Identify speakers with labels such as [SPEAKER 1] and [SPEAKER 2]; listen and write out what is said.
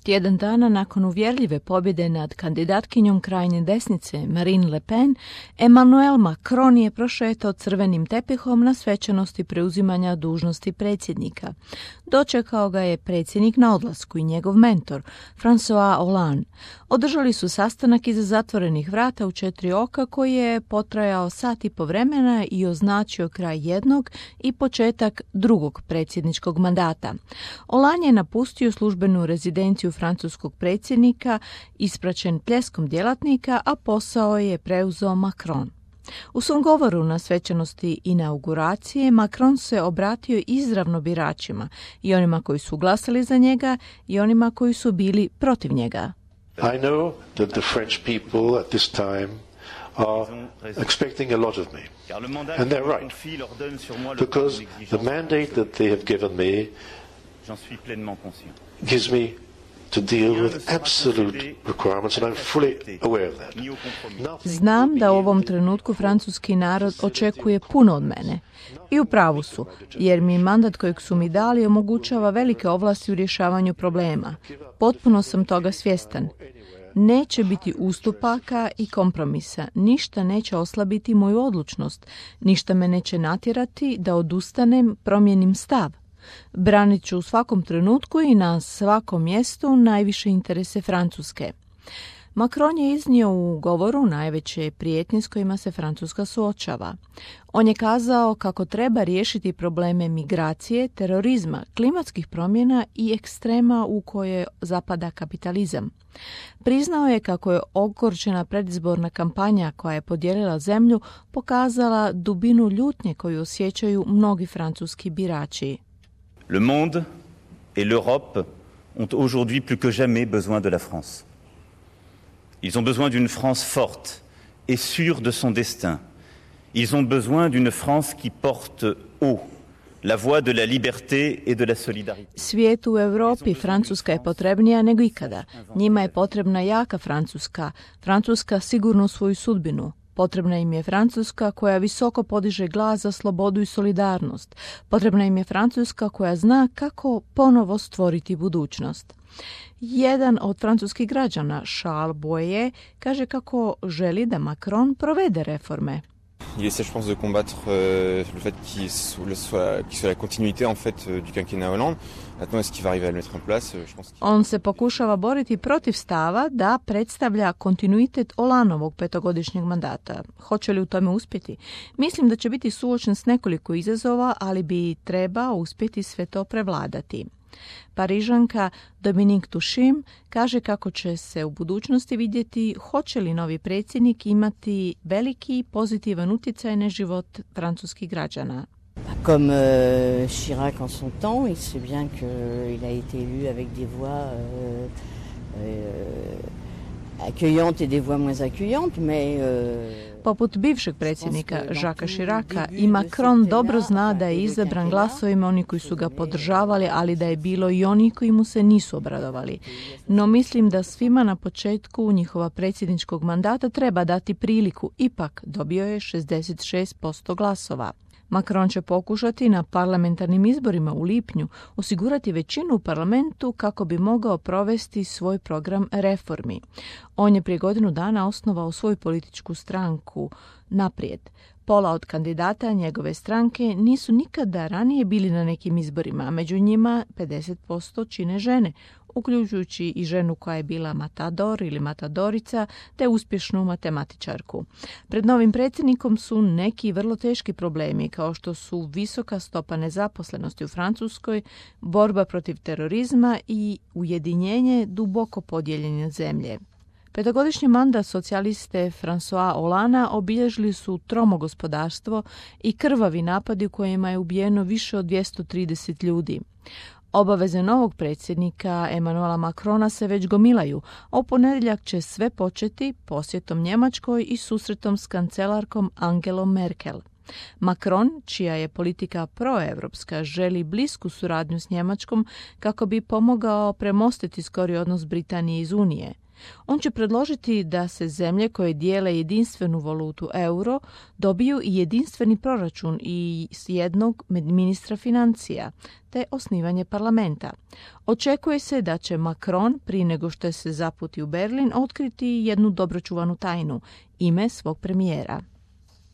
[SPEAKER 1] Tjedan dana nakon uvjerljive pobjede nad kandidatkinjom krajnje desnice Marine Le Pen, Emmanuel Macron je prošetao crvenim tepihom na svečanosti preuzimanja dužnosti predsjednika. Dočekao ga je predsjednik na odlasku i njegov mentor, François Hollande. Održali su sastanak iza zatvorenih vrata u 4 oka koji je potrajao sat i po vremena i označio kraj jednog i početak drugog predsjedničkog mandata. Hollande je napustio službenu rezidenciju francuskog predsjednika, ispraćen pljeskom djelatnika, a posao je preuzeo Macron. U svom govoru na svečanosti inauguracije Macron se obratio izravno biračima, i onima koji su glasali za njega i onima koji su bili protiv njega.
[SPEAKER 2] I know that the French people at this time are expecting a lot of me. And they're right. Because the mandate that they have given me gives me to deal with absolute requirements, and I'm fully aware of that.
[SPEAKER 1] Znam da u ovom trenutku francuski narod očekuje puno od mene. I u pravu su, jer mi mandat kojeg su mi dali omogućava velike ovlasti u rješavanju problema. Potpuno sam toga svjestan. Neće biti ustupaka i kompromisa, ništa neće oslabiti moju odlučnost, ništa me neće natjerati da odustanem, promijenim stav. Branit ću u svakom trenutku i na svakom mjestu najviše interese Francuske. Macron je iznio u govoru najveće prijetnje s kojima se Francuska suočava. On je kazao kako treba riješiti probleme migracije, terorizma, klimatskih promjena i ekstrema u koje zapada kapitalizam. Priznao je kako je ogorčena predizborna kampanja koja je podijelila zemlju pokazala dubinu ljutnje koju osjećaju mnogi francuski birači.
[SPEAKER 3] Le monde et l'Europe ont aujourd'hui plus que jamais besoin de la France. Ils ont besoin d'une France forte et sûre de son destin. Ils ont besoin d'une France qui porte haut la voix de la liberté et de la solidarité.
[SPEAKER 1] Svijetu u Europi Francuska je potrebnija nego ikada. Njima je potrebna jaka Francuska, Francuska sigurno svoju sudbinu. Potrebna im je Francuska koja visoko podiže glas za slobodu i solidarnost. Potrebna im je Francuska koja zna kako ponovo stvoriti budućnost. Jedan od francuskih građana, Charles Boyer, kaže kako želi da Macron provede reforme.
[SPEAKER 4] Il essaie, je pense, de combattre le fait qu'il soit la continuité en fait du quinquennat Hollande. Maintenant, est-ce qu'il va arriver à le mettre en place? Je pense.
[SPEAKER 1] On se pokušava boriti protiv stava da predstavlja kontinuitet Hollandeovog petogodišnjeg mandata. Hoće li u tome uspjeti? Mislim da će biti suočen s nekoliko izazova, ali bi trebao uspjeti sve to prevladati. Parižanka Dominique Tuchim kaže kako će se u budućnosti vidjeti hoće li novi predsjednik imati veliki pozitivan utjecaj na život francuskih građana.
[SPEAKER 5] Comme Chirac en son temps, il sait bien qu'il a été élu avec des voix accueillantes et des voix moins accueillantes, mais
[SPEAKER 1] Poput bivšeg predsjednika Jacquesa Chiraca i Macron dobro zna da je izabran glasovima oni koji su ga podržavali, ali da je bilo i oni koji mu se nisu obradovali. No mislim da svima na početku njihova predsjedničkog mandata treba dati priliku. Ipak dobio je 66% glasova. Macron će pokušati na parlamentarnim izborima u lipnju osigurati većinu u parlamentu kako bi mogao provesti svoj program reformi. On je prije godinu dana osnovao svoju političku stranku Naprijed. Pola od kandidata njegove stranke nisu nikada ranije bili na nekim izborima, a među njima 50% čine žene, uključujući i ženu koja je bila matador ili matadorica, te uspješnu matematičarku. Pred novim predsjednikom su neki vrlo teški problemi, kao što su visoka stopa nezaposlenosti u Francuskoj, borba protiv terorizma i ujedinjenje duboko podijeljene zemlje. Petogodišnji mandat socijaliste François Hollanda obilježili su tromo gospodarstvo i krvavi napadi u kojima je ubijeno više od 230 ljudi. Obaveze novog predsjednika Emmanuela Macrona se već gomilaju, a u ponedjeljak će sve početi posjetom Njemačkoj i susretom s kancelarkom Angelom Merkel. Macron, čija je politika proevropska, želi blisku suradnju s Njemačkom kako bi pomogao premostiti skori odnos Britanije iz Unije. On će predložiti da se zemlje koje dijele jedinstvenu valutu euro dobiju i jedinstveni proračun i jednog ministra financija, te osnivanje parlamenta. Očekuje se da će Macron, prije nego što se zaputi u Berlin, otkriti jednu dobročuvanu tajnu, ime svog premijera.